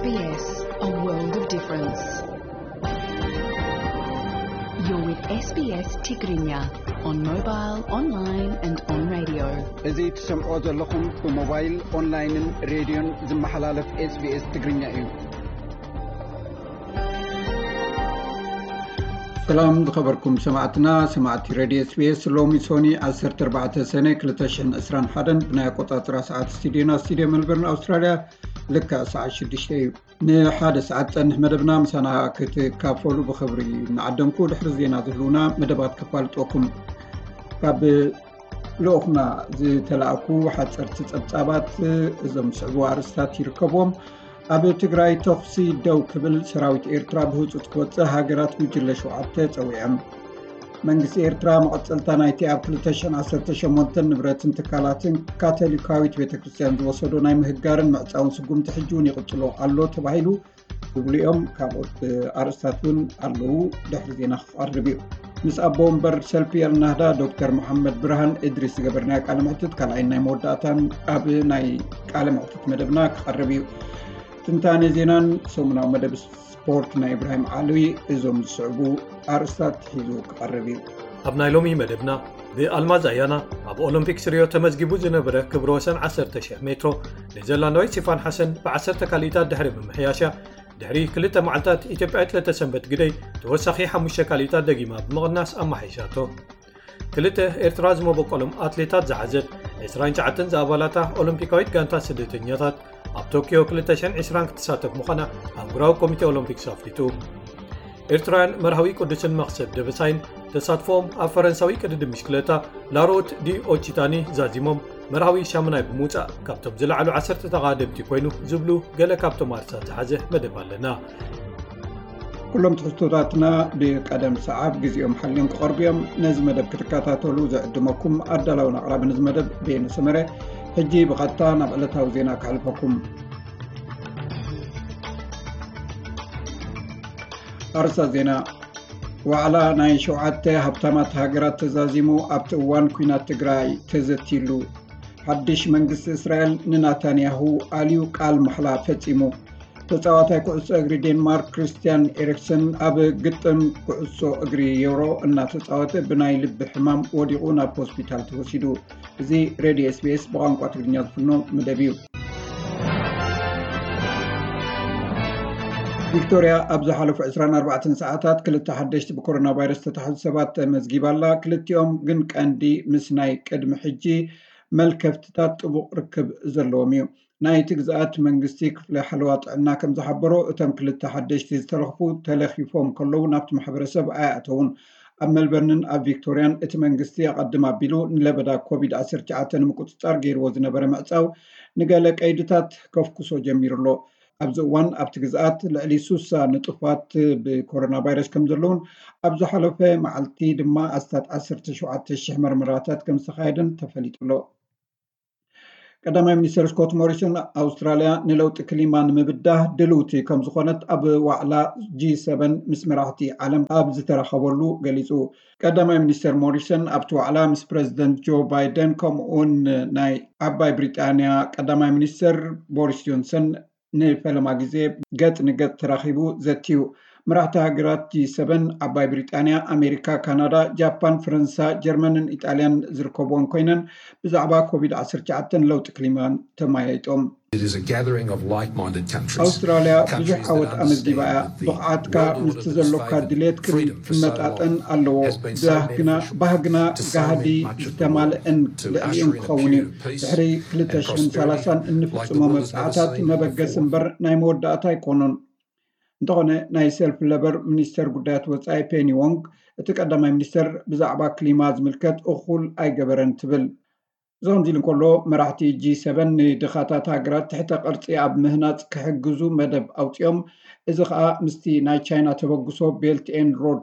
S B S, a world of difference. You're with S B S Tigrinya on mobile, online and on radio. እዚ ትሰምዖ ዘለኹም ብሞባይል፣ ኦንላይንን ሬድዮን ዝመሓላለፍ S B S ትግርኛ እዩ። ሰላም ዝኸበርኩም ሰማዕትና፣ ሰማዕቲ ሬድዮ S B S። ሎሚ ሶኒ ዓሰርተ ኣርባዕተ ሰነ ክልተ ሽሕን ዕስራን ሓደን ብናይ ኣቆጻጽራ ሰዓት ስቱዲዮና፣ ስቱዲዮ ሜልበርን ኣውስትራልያ፣ ልክዕ ሰዓት ሽዱሽተ እዩ። ንሓደ ሰዓት ጸንሕ መደብና ምሳና ክትካፈሉ ብኽብሪ እናዓደምኩ፣ ድሕሪ ዜና ዝህልውና መደባት ከፋልጠኩም። ካብ ልኡኽና ዝተላእኩ ሓጸርቲ ጸብጻባት እዞም ዝስዕቡ ኣርእስታት ይርከብዎም። ኣብ ትግራይ ተኹሲ ደው ክብል ሰራዊት ኤርትራ ብህጹጽ ክወጽእ ሃገራት ጉጅለ ሸውዓተ ጸዊዐን። መንግስቲ ኤርትራ መቐጸልታ ናይቲ ኣብ ክልተ ሽሕን ዓሰርተ ሸሞንተን ንብረትን ትካላትን ካቶሊካዊት ቤተ ክርስቲያን ዝወሰዶ ናይ ምህጋርን ምዕጻውን ስጉምቲ ሕጂ እውን ይቕጽሎ ኣሎ ተባሂሉ ዝብሉ እዮም። ካልኦት ኣርእስታት እውን ኣለዉ። ድሕሪ ዜና ክቐርብ እዩ። ምስ ኣቦ ወንበር ሰልፊ ኣልናህዳ ዶክተር መሓመድ ብርሃን እድሪስ ዝገበርናዮ ቃለ መሕትት ካልኣይን ናይ መወዳእታን ኣብ ናይ ቃለ መሕትት መደብና ክቐርብ እዩ። ትንታኔ ዜናን ሰሙናዊ መደብ ስፖርት ናይ ኢብራሂም ዓሊ እዞም ዝስዕቡ ኣርእስታት ሒዙ ክቐርብ እዩ። ኣብ ናይ ሎሚ መደብና፣ ብኣልማዝ ኣያና ኣብ ኦሎምፒክስ ሪዮ ተመዝጊቡ ዝነበረ ክብረ ወሰን ዓሰርተ ሺሕ ሜትሮ ኔዘርላንዳዊት ሲፋን ሓሰን ብዓሰርተ ካልኢታት ድሕሪ ምምሕያሻ፣ ድሕሪ ክልተ መዓልታት ኢትዮጵያዊት ለተሰንበት ግደይ ተወሳኺ ሓሙሽተ ካልኢታት ደጊማ ብምቕናስ ኣመሓይሻቶ። ክልተ ኤርትራ ዝመበቆሎም ኣትሌታት ዝሓዘት ዕስራን ትሽዓተን ዝኣባላታ ኦሎምፒካዊት ጋንታ ስደተኛታት ኣብ ቶኪዮ ክልተ ሽሕን ዕስራን ክትሳተፍ ምዃና ኣህጉራዊ ኮሚቴ ኦሎምፒክስ ኣፍሊጡ። ኤርትራውያን መርሃዊ ቅዱስን መኽሰብ ደበሳይን ተሳትፎኦም ኣብ ፈረንሳዊ ቅድድም ብሽክለታ ላሮት ዲ ኦቺታኒ ዛዚሞም መርሃዊ ሻሙናይ ብምውጻእ ካብቶም ዝለዓሉ ዓሰርተ ተቓደምቲ ኮይኑ ዝብሉ ገለ ካብቶም ኣርሳት ዝሓዘ መደብ ኣለና። ኩሎም ትሕዝቶታትና ብቀደም ሰዓብ ግዜኦም ሓልዮም ክቐርቡ እዮም። ነዚ መደብ ክትከታተሉ ዝዕድመኩም ኣዳላውን ኣቕራብን እዚ መደብ ቤነ ሰመረ። ሕጂ ብቐጥታ ናብ ዕለታዊ ዜና ከሕልፈኩም። ኣርሳ ዜና። ዋዕላ ናይ ሸውዓተ ሃብታማት ሃገራት ተዛዚሙ ኣብቲ እዋን ኲናት ትግራይ ተዘትይሉ። ሓድሽ መንግስቲ እስራኤል ንናታንያሁ ኣልዩ ቃል ማሕላ ፈጺሙ። ተጻዋታይ ኩዕሶ እግሪ ዴንማርክ ክሪስቲያን ኤሪክሰን ኣብ ግጥም ኩዕሶ እግሪ ዮሮ እናተጻወተ ብናይ ልቢ ሕማም ወዲቑ ናብ ሆስፒታል ተወሲዱ። እዚ ሬድዮ S B S ብቋንቋ ትግርኛ ዝፍኖ መደብ እዩ። ቪክቶርያ ኣብ ዝሓለፉ ዕስራን ኣርባዕተን ሰዓታት ክልተ ሓደሽቲ ብኮሮና ቫይረስ ዝተታሕዙ ሰባት ተመዝጊባ ኣላ። ክልቲኦም ግን ቀንዲ ምስ ናይ ቅድሚ ሕጂ መልከፍትታት ጥቡቕ ርክብ ዘለዎም እዩ። ናይቲ ግዝኣት መንግስቲ ክፍሊ ሓለዋ ጥዕና ከም ዝሓበሮ፣ እቶም ክልተ ሓደሽቲ ዝተለኽፉ ተለኺፎም ከለዉ ናብቲ ማሕበረሰብ ኣይኣተዉን። ኣብ ሜልበርንን ኣብ ቪክቶርያን እቲ መንግስቲ ኣቐድም ኣቢሉ ንለበዳ ኮቪድ ዓሰርተ ትሽዓተ ንምቁጽጻር ገይርዎ ዝነበረ ምዕጻው ንገለ ቀይድታት ከፍኩሶ ጀሚሩ ኣሎ። ኣብዚ እዋን ኣብቲ ግዝኣት ልዕሊ ሱሳ ንጡፋት ብኮሮና ቫይረስ ከም ዘለውን ኣብ ዝሓለፈ መዓልቲ ድማ ኣስታት ዓሰርተ ሸውዓተ ሽሕ መርመራታት ከም ዝተኻየደን ተፈሊጡ ኣሎ። ቀዳማይ ሚኒስተር ስኮት ሞሪሰን ኣውስትራልያ ንለውጢ ክሊማ ንምብዳህ ድልውቲ ከም ዝኾነት ኣብ ዋዕላ ጂ ሰቨን ምስ መራሕቲ ዓለም ኣብ ዝተራኸበሉ ገሊጹ። ቀዳማይ ሚኒስተር ሞሪሰን ኣብቲ ዋዕላ ምስ ፕረዚደንት ጆ ባይደን ከምኡውን ናይ ዓባይ ብሪጣንያ ቀዳማይ ሚኒስተር ቦሪስ ጆንሰን ንፈለማ ግዜ ገጽ ንገጽ ተራኺቡ ዘትዩ። መራሕቲ ሃገራት ጂ ሰቨን ዓባይ ብሪጣንያ፣ ኣሜሪካ፣ ካናዳ፣ ጃፓን፣ ፈረንሳ፣ ጀርመንን ኢጣልያን ዝርከብዎን ኮይነን ብዛዕባ ኮቪድ ዓሰርተ ትሽዓተ ለውጢ ክሊማን ተመያይጦም። It is a gathering of like-minded countries. ኣውስትራልያ ብዙሕ ዓወት ኣመዝጊባ እያ። ብቕዓትካ ምስቲ ዘሎካ ድሌት ክመጣጠን ኣለዎ። ባህግና ባህግና ጋህዲ ዝተማልአን ልዕሊኡን ክኸውን እዩ። ድሕሪ ክልተ ሽሕን ሰላሳን እንፍጽሞ መብጽዓታት መበገሲ እምበር ናይ መወዳእታ ኣይኮኑን። እንተኾነ ናይ ሰልፊ ለበር ሚኒስተር ጉዳያት ወጻኢ ፔኒ ዎንግ እቲ ቀዳማይ ሚኒስተር ብዛዕባ ክሊማ ዝምልከት እኹል ኣይገበረን ትብል። እዚ ከምዚ ኢሉ እንከሎ፣ መራሕቲ ጂ ሰቨን ንድኻታት ሃገራት ትሕተ ቅርጺ ኣብ ምህናጽ ክሕግዙ መደብ ኣውጺኦም፣ እዚ ኸኣ ምስቲ ናይ ቻይና ተበግሶ ቤልት ኤንድ ሮድ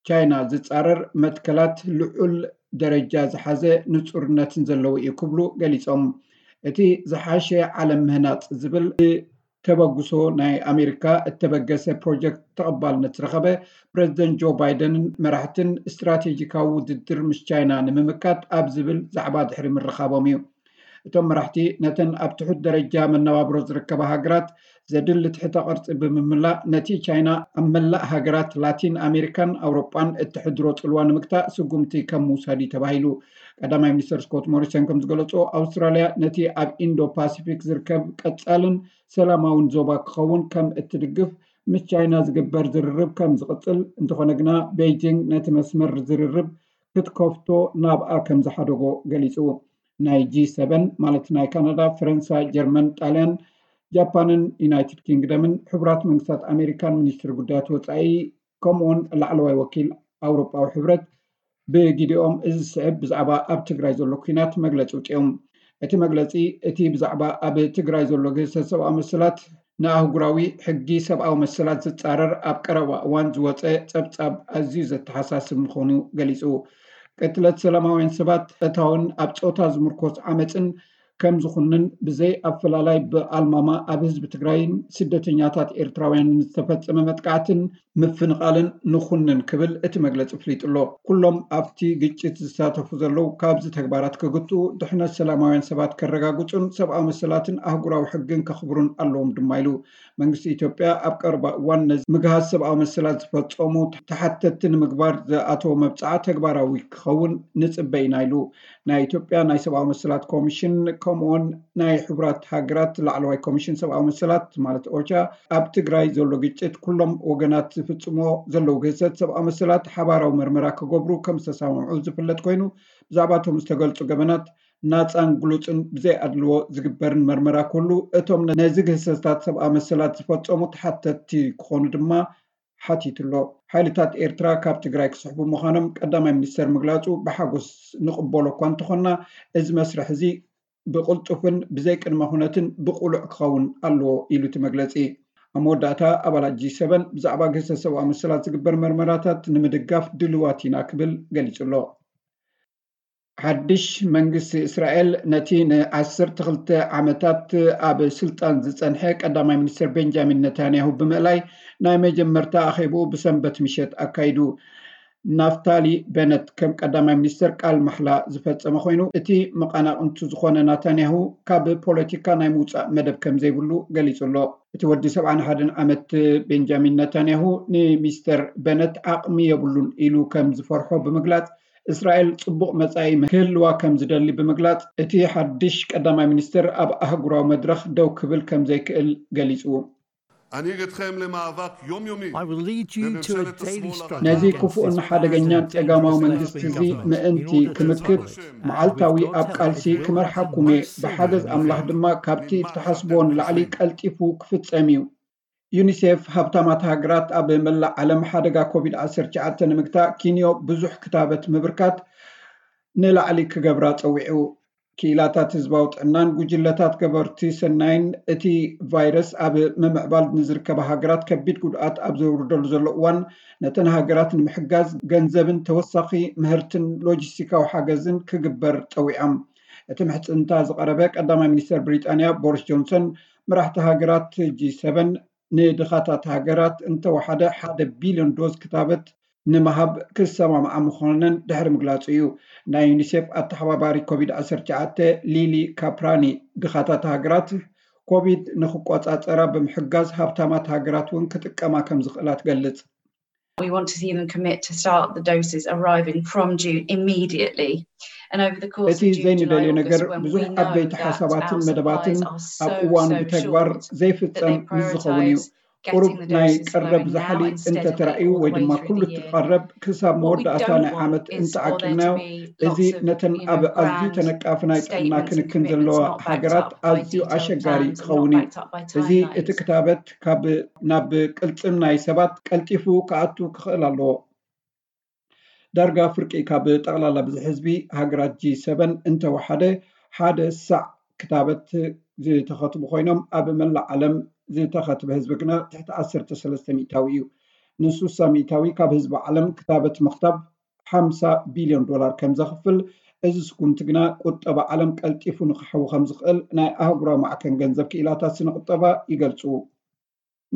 ቻይና ዝጻረር መትከላት ልዑል ደረጃ ዝሓዘ ንጹርነትን ዘለዎ እዩ ክብሉ ገሊጾም። እቲ ዝሓሸ ዓለም ምህናጽ ዝብል ተበግሶ ናይ ኣሜሪካ እተበገሰ ፕሮጀክት ተቐባልነት ዝረኸበ ፕረዚደንት ጆ ባይደንን መራሕትን ስትራቴጂካዊ ውድድር ምስ ቻይና ንምምካት ኣብ ዝብል ዛዕባ ድሕሪ ምርኻቦም እዩ። እቶም መራሕቲ ነተን ኣብ ትሑት ደረጃ መነባብሮ ዝርከባ ሃገራት ዘድሊ ትሕተ ቅርጺ ብምምላእ፣ ነቲ ቻይና ኣብ መላእ ሃገራት ላቲን ኣሜሪካን ኣውሮጳን እትሕድሮ ጽልዋ ንምግታእ ስጉምቲ ከም ምውሳድ እዩ ተባሂሉ። ቀዳማይ ሚኒስትር ስኮት ሞሪሰን ከም ዝገለጾ፣ ኣውስትራልያ ነቲ ኣብ ኢንዶ ፓሲፊክ ዝርከብ ቀጻልን ሰላማውን ዞባ ክኸውን ከም እትድግፍ ምስ ቻይና ዝግበር ዝርርብ ከም ዝቕጽል፣ እንተኾነ ግና ቤይጂንግ ነቲ መስመር ዝርርብ ክትከፍቶ ናብኣ ከም ዝሓደጎ ገሊጹ። ናይ ጂ ሰቨን ማለት ናይ ካናዳ፣ ፈረንሳ፣ ጀርመን፣ ጣልያን፣ ጃፓንን ዩናይትድ ኪንግደምን ሕቡራት መንግስታት ኣሜሪካን ሚኒስትር ጉዳያት ወጻኢ ከምኡውን ላዕለዋይ ወኪል ኣውሮጳዊ ሕብረት ብግዲኦም እዚ ዝስዕብ ብዛዕባ ኣብ ትግራይ ዘሎ ኲናት መግለጺ ውፅኦም። እቲ መግለጺ እቲ ብዛዕባ ኣብ ትግራይ ዘሎ ግህሰት ሰብኣዊ መሰላት ንኣህጉራዊ ሕጊ ሰብኣዊ መሰላት ዝጻረር ኣብ ቀረባ እዋን ዝወጸ ጸብጻብ ኣዝዩ ዘተሓሳስብ ምዃኑ ገሊጹ። ቅትለት ሰላማውያን ሰባት፣ እታውን ኣብ ጾታ ዝምርኮስ ዓመፅን ከም ዝኹንን ብዘይ ኣፈላላይ ብኣልማማ ኣብ ህዝቢ ትግራይን ስደተኛታት ኤርትራውያንን ዝተፈጸመ መጥቃዕትን ምፍንቓልን ንኹንን ክብል እቲ መግለጺ ኣፍሊጡ ኣሎ። ኩሎም ኣብቲ ግጭት ዝሳተፉ ዘለዉ ካብዚ ተግባራት ክግትኡ፣ ድሕነት ሰላማውያን ሰባት ከረጋግጹን ሰብኣዊ መሰላትን ኣህጉራዊ ሕግን ከኽብሩን ኣለዎም ድማ ኢሉ። መንግስቲ ኢትዮጵያ ኣብ ቀረባ እዋን ነዚ ምግሃስ ሰብኣዊ መሰላት ዝፈጸሙ ተሓተትቲ ንምግባር ዝኣተወ መብጽዓ ተግባራዊ ክኸውን ንጽበ ኢና ኢሉ። ናይ ኢትዮጵያ ናይ ሰብኣዊ መሰላት ኮሚሽን ከምኡውን ናይ ሕቡራት ሃገራት ላዕለዋይ ኮሚሽን ሰብኣዊ መሰላት ማለት ኦቻ ኣብ ትግራይ ዘሎ ግጭት ኩሎም ወገናት ዝፍጽሞ ዘለዉ ግህሰት ሰብኣዊ መሰላት ሓባራዊ መርመራ ክገብሩ ከም ዝተሰማምዑ ዝፍለጥ ኮይኑ፣ ብዛዕባቶም ዝተገልጹ ገበናት ናጻን ግሉጽን ብዘይ ኣድልዎ ዝግበርን መርመራ ክህሉ፣ እቶም ነዚ ግህሰታት ሰብኣዊ መሰላት ዝፈጸሙ ተሓተትቲ ክኾኑ ድማ ሓቲቱ ኣሎ። ሓይልታት ኤርትራ ካብ ትግራይ ክስሕቡ ምዃኖም ቀዳማይ ሚኒስተር ምግላጹ ብሓጎስ ንቕበሎ እኳ እንተኾንና፣ እዚ መስርሕ እዚ ብቕልጡፍን ብዘይ ቅድመ ኩነትን ብቕሉዕ ክኸውን ኣለዎ ኢሉ እቲ መግለጺ። ኣብ መወዳእታ ኣባላት ጂ ሰቨን ብዛዕባ ግህሰት ሰብኣዊ መሰላት ዝግበር መርመራታት ንምድጋፍ ድልዋት ኢና ክብል ገሊጹ ኣሎ። ሓድሽ መንግስቲ እስራኤል ነቲ ንዓሰርተ ክልተ ዓመታት ኣብ ስልጣን ዝጸንሐ ቀዳማይ ሚኒስትር ቤንጃሚን ነታንያሁ ብምእላይ ናይ መጀመርታ ኣኼብኡ ብሰንበት ምሸት ኣካይዱ። ናፍታሊ በነት ከም ቀዳማይ ሚኒስትር ቃል ማሕላ ዝፈጸመ ኮይኑ፣ እቲ መቐናቕንቱ ዝኾነ ናታንያሁ ካብ ፖለቲካ ናይ ምውጻእ መደብ ከም ዘይብሉ ገሊጹ ኣሎ። እቲ ወዲ ሰብዓን ሓደን ዓመት ቤንጃሚን ነታንያሁ ንሚስተር በነት ዓቕሚ የብሉን ኢሉ ከም ዝፈርሖ ብምግላጽ፣ እስራኤል ጽቡቕ መጻኢ ክህልዋ ከም ዝደሊ ብምግላጽ፣ እቲ ሓድሽ ቀዳማይ ሚኒስትር ኣብ ኣህጉራዊ መድረኽ ደው ክብል ከም ዘይክእል ገሊጹ። אני אגדכם למאבק יומיומי I will lead you to a בממשלת daily השמאל struggle. ነዚ against ክፉእን this ሓደገኛን vast ጸጋማዊ dangerous መንግስቲ እዚ government. ምእንቲ You will ክምክት discover መዓልታዊ that ኣብ ቃልሲ you ክመርሓኩም እየ። will ብሓገዝ soon ኣምላኽ be ድማ ካብቲ እትሓስብዎ ንላዕሊ ቀልጢፉ ክፍጸም እዩ። ዩኒሴፍ ሃብታማት ሃገራት ኣብ መላእ ዓለም ሓደጋ ኮቪድ ዓሰርተ ትሽዓተ ንምግታእ ኪንዮ ብዙሕ ክታበት ምብርካት ንላዕሊ ክገብራ ጸዊዑ። ክኢላታት ህዝባዊ ጥዕናን ጉጅለታት ገበርቲ ሰናይን እቲ ቫይረስ ኣብ ምምዕባል ንዝርከባ ሃገራት ከቢድ ጉድኣት ኣብ ዘውርደሉ ዘሎ እዋን፣ ነተን ሃገራት ንምሕጋዝ ገንዘብን ተወሳኺ ምህርትን ሎጂስቲካዊ ሓገዝን ክግበር ጸዊዖም። እቲ ምሕጽንታ ዝቐረበ ቀዳማይ ሚኒስተር ብሪጣንያ ቦሪስ ጆንሰን፣ መራሕቲ ሃገራት ጂ ሰቨን ንድኻታት ሃገራት እንተወሓደ ሓደ ቢልዮን ዶዝ ክታበት ንምሃብ ክሰማምዓ ምዃነን ድሕሪ ምግላጹ እዩ። ናይ ዩኒሴፍ ኣተሓባባሪ ኮቪድ ዓሰርተ ትሽዓተ ሊሊ ካፕራኒ፣ ድኻታት ሃገራት ኮቪድ ንክቆጻጸራ ብምሕጋዝ ሃብታማት ሃገራት እውን ክጥቀማ ከም ዝኽእላ ትገልጽ። We want to see them commit to start the doses arriving from June immediately. And over the course እቲ of June, July, ዘይንደልዮ ነገር August, when we ብዙሕ know ዓበይቲ that ሓሳባትን our መደባትን supplies are ኣብ so, እዋኑ so ብተግባር short, that ዘይፍጸም they ምስ ዝኸውን እዩ። prioritise ቁሩብ getting the ናይ doses ቀረብ flowing now ዛሕሊ instead of እንተተራእዩ all the ወይ way ድማ through ኩሉ the እቲ year. ቀረብ ክሳብ What we መወዳእታ don't ናይ ዓመት want is for there እንተዓቂብናዮ፣ to be እዚ lots of, ነተን you ኣብ know, ኣዝዩ grand ተነቃፊ ናይ ጥዕና statements and ክንክን ዘለዋ commitments not backed ሃገራት up by ኣዝዩ detailed ኣሸጋሪ plans and not ክኸውን እዩ። backed up by እዚ እቲ timelines. ክታበት ካብ ናብ ቅልጽም ናይ ሰባት ቀልጢፉ ክኣቱ ክኽእል ኣለዎ። ዳርጋ ፍርቂ ካብ ጠቕላላ ብዝሒ ህዝቢ ሃገራት ጂ ሰቨን እንተወሓደ ሓደ ሳዕ ክታበት ዝተኸትቡ ኮይኖም፣ ኣብ መላእ ዓለም ዝተኸትበ ህዝቢ ግና ትሕቲ ዓሰርተ ሰለስተ ሚእታዊ እዩ። ንሱሳ ሚእታዊ ካብ ህዝቢ ዓለም ክታበት ምኽታብ ሓምሳ ቢልዮን ዶላር ከም ዘኽፍል፣ እዚ ስጉምቲ ግና ቁጠባ ዓለም ቀልጢፉ ንክሕዊ ከም ዝኽእል ናይ ኣህጉራዊ ማዕከን ገንዘብ ክኢላታት ስነ ቁጠባ ይገልጹ።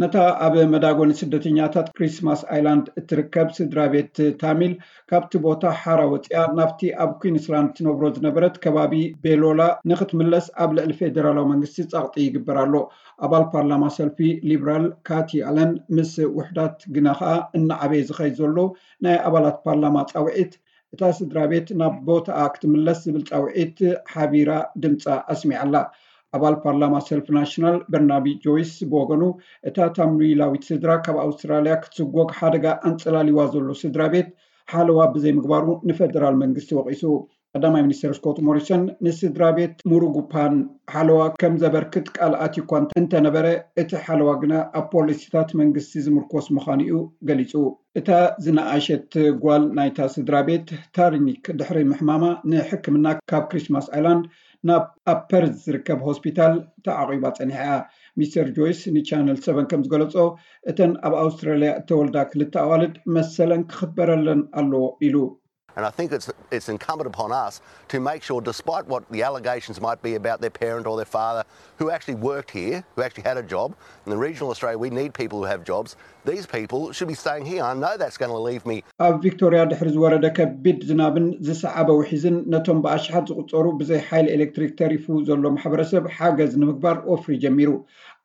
ነታ ኣብ መዳጎኒ ስደተኛታት ክሪስማስ ኣይላንድ እትርከብ ስድራ ቤት ታሚል ካብቲ ቦታ ሓራ ወፂኣ ናብቲ ኣብ ኩንስላንድ ትነብሮ ዝነበረት ከባቢ ቤሎላ ንክትምለስ ኣብ ልዕሊ ፌደራላዊ መንግስቲ ፃቕጢ ይግበር ኣሎ። ኣባል ፓርላማ ሰልፊ ሊብራል ካቲ ኣለን ምስ ውሕዳት ግና ከኣ እናዓበየ ዝኸይድ ዘሎ ናይ ኣባላት ፓርላማ ፃውዒት እታ ስድራ ቤት ናብ ቦታኣ ክትምለስ ዝብል ፃውዒት ሓቢራ ድምፃ ኣስሚዓላ። ኣባል ፓርላማ ሰልፊ ናሽናል በርናቢ ጆይስ ብወገኑ እታ ታምሪላዊት ስድራ ካብ ኣውስትራልያ ክትስጎግ ሓደጋ ኣንፀላሊዋ ዘሎ ስድራ ቤት ሓለዋ ብዘይምግባሩ ንፈደራል መንግስቲ ወቒሱ። ቀዳማይ ሚኒስትር ስኮት ሞሪሰን ንስድራ ቤት ሙሩጉፓን ሓለዋ ከም ዘበርክት ቃል ኣትዩ እኳ እንተነበረ እቲ ሓለዋ ግና ኣብ ፖሊሲታት መንግስቲ ዝምርኮስ ምዃኑ እዩ ገሊጹ። እታ ዝነኣሸት ጓል ናይታ ስድራ ቤት ታርኒክ ድሕሪ ምሕማማ ንሕክምና ካብ ክሪስማስ ኣይላንድ ናብ ኣብ ፐርዝ ዝርከብ ሆስፒታል ተዓቒባ ጸኒሓ እያ። ሚስተር ጆይስ ንቻነል ሰቨን ከም ዝገለጾ እተን ኣብ ኣውስትራልያ እተወልዳ ክልተ ኣዋልድ መሰለን ክኽበረለን ኣለዎ ኢሉ። And I think it's, it's incumbent upon us to make sure, despite what the allegations might be about their parent or their father, who actually worked here, who actually had a job. In the regional Australia, we need people who have jobs. These people should be staying here. I know that's going to leave me. ኣብ ቪክቶርያ ድሕሪ ዝወረደ ከቢድ ዝናብን ዝሰዓበ ውሒዝን ነቶም ብኣሽሓት ዝቑጸሩ ብዘይ ሓይሊ ኤሌክትሪክ ተሪፉ ዘሎ ማሕበረሰብ ሓገዝ ንምግባር ወፍሪ ጀሚሩ።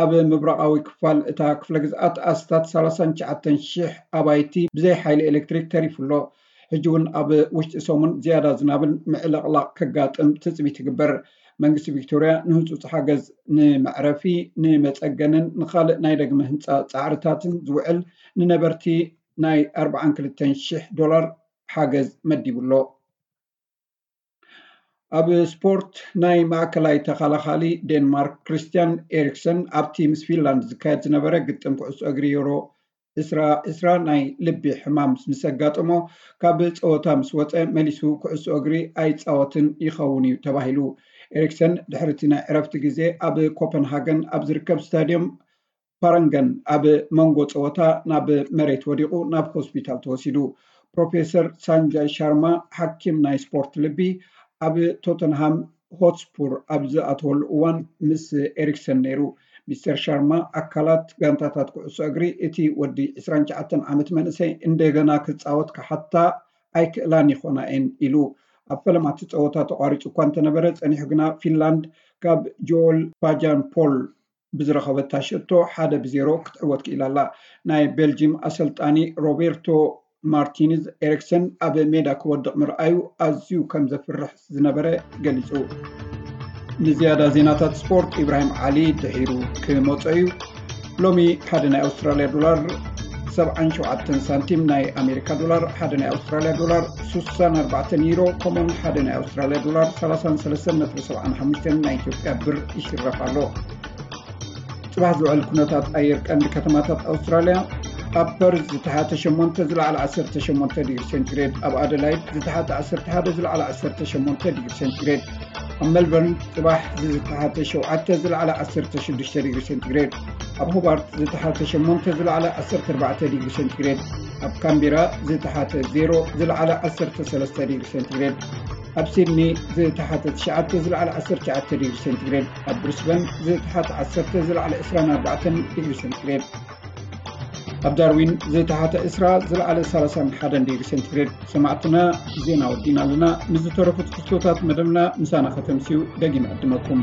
ኣብ ምብራቓዊ ክፋል እታ ክፍለ ግዝኣት ኣስታት ሰላሳን ትሽዓተን ሽሕ ኣባይቲ ብዘይ ሓይሊ ኤሌክትሪክ ተሪፉ ኣሎ። ሕጂ እውን ኣብ ውሽጢ ሰሙን ዝያዳ ዝናብን ምዕልቕላቕ ከጋጥም ትፅቢት ይግበር። መንግስቲ ቪክቶርያ ንህፁፅ ሓገዝ ንመዕረፊ፣ ንመፀገንን ንካልእ ናይ ደግመ ህንፃ ፃዕርታትን ዝውዕል ንነበርቲ ናይ ኣርባዓን ክልተን ሽሕ ዶላር ሓገዝ መዲቡ ኣሎ። ኣብ ስፖርት ናይ ማእከላይ ተኸላኻሊ ዴንማርክ ክሪስትያን ኤሪክሰን ኣብቲ ምስ ፊንላንድ ዝካየድ ዝነበረ ግጥም ኩዕሶ እግሪ ዩሮ ዕስራ ዕስራ ናይ ልቢ ሕማም ምስ ኣጋጠሞ ካብ ፀወታ ምስ ወፀ መሊሱ ኩዕሶ እግሪ ኣይፃወትን ይኸውን እዩ ተባሂሉ። ኤሪክሰን ድሕሪ እቲ ናይ ዕረፍቲ ግዜ ኣብ ኮፐንሃገን ኣብ ዝርከብ ስታድዮም ፓረንገን ኣብ መንጎ ፀወታ ናብ መሬት ወዲቑ ናብ ሆስፒታል ተወሲዱ። ፕሮፌሰር ሳንጃይ ሻርማ ሓኪም ናይ ስፖርት ልቢ ኣብ ቶተንሃም ሆትስፑር ኣብ ዝኣተወሉ እዋን ምስ ኤሪክሰን ነይሩ። ሚስተር ሻርማ ኣካላት ጋንታታት ኩዕሶ እግሪ እቲ ወዲ ዕስራን ትሽዓተን ዓመት መንእሰይ እንደገና ክፃወት ክሓታ ኣይክእላን ይኾና እየን ኢሉ። ኣብ ፈለማ እቲ ፀወታ ተቋሪፁ እኳ እንተነበረ ፀኒሑ ግና ፊንላንድ ካብ ጆል ባጃን ፖል ብዝረኸበታ ሸቶ ሓደ ብዜሮ ክትዕወት ክኢላ ኣላ። ናይ ቤልጂም ኣሰልጣኒ ሮቤርቶ ማርቲንዝ ኤሪክሰን ኣብ ሜዳ ክወድቕ ምርኣዩ ኣዝዩ ከም ዘፍርሕ ዝነበረ ገሊጹ። ንዝያዳ ዜናታት ስፖርት ኢብራሂም ዓሊ ድሒሩ ክመጾ እዩ። ሎሚ ሓደ ናይ ኣውስትራልያ ዶላር ሰብዓን ሸውዓተን ሳንቲም፣ ናይ ኣሜሪካ ዶላር ሓደ ናይ ኣውስትራልያ ዶላር ሱሳን ኣርባዕተን ዩሮ፣ ከምኡውን ሓደ ናይ ኣውስትራልያ ዶላር ሰላሳን ሰለስተን ነጥቢ ሰብዓን ሓሙሽተን ናይ ኢትዮጵያ ብር ይሽረፍ ኣሎ። ጽባሕ ዝውዕል ኩነታት ኣየር ቀንዲ ከተማታት ኣውስትራልያ፣ ኣብ ፐርዝ ዝተሓተ ሸሞንተ ዝለዓለ ዓሰርተ ሸሞንተ ዲግሪ ሴንቲግሬድ፣ ኣብ ኣደላይድ ዝተሓተ ዓሰርተ ሓደ ዝለዓለ ዓሰርተ ሸሞንተ ዲግሪ ሴንቲግሬድ፣ ኣብ ሜልበርን ጽባሕ ዝተሓተ ሸውዓተ ዝለዓለ ዓሰርተ ሽዱሽተ ዲግሪ ሴንቲግሬድ፣ ኣብ ሆባርት ዝተሓተ ሸሞንተ ዝለዓለ ዓሰርተ ኣርባዕተ ዲግሪ ሴንቲግሬድ፣ ኣብ ካምቢራ ዝተሓተ ዜሮ ዝለዓለ ዓሰርተ ሰለስተ ዲግሪ ሴንቲግሬድ፣ ኣብ ሲድኒ ዝተሓተ ትሽዓተ ዝለዓለ ዓሰርተ ትሽዓተ ዲግሪ ሴንቲግሬድ፣ ኣብ ብሪስበን ዝተሓተ ዓሰርተ ዝለዓለ ዕስራን ኣርባዕተን ዲግሪ ሴንቲግሬድ፣ ኣብ ዳርዊን ዝተሓተ ዕስራ ዝለዓለ ሰላሳን ሓደን ዲግሪ ሴንቲግሬድ። ሰማዕትና፣ ዜና ወዲና ኣለና። ምስ ዝተረፉ ትሕዝቶታት መደብና ምሳና ከተምስዩ ደጊመ ዕድመኩም።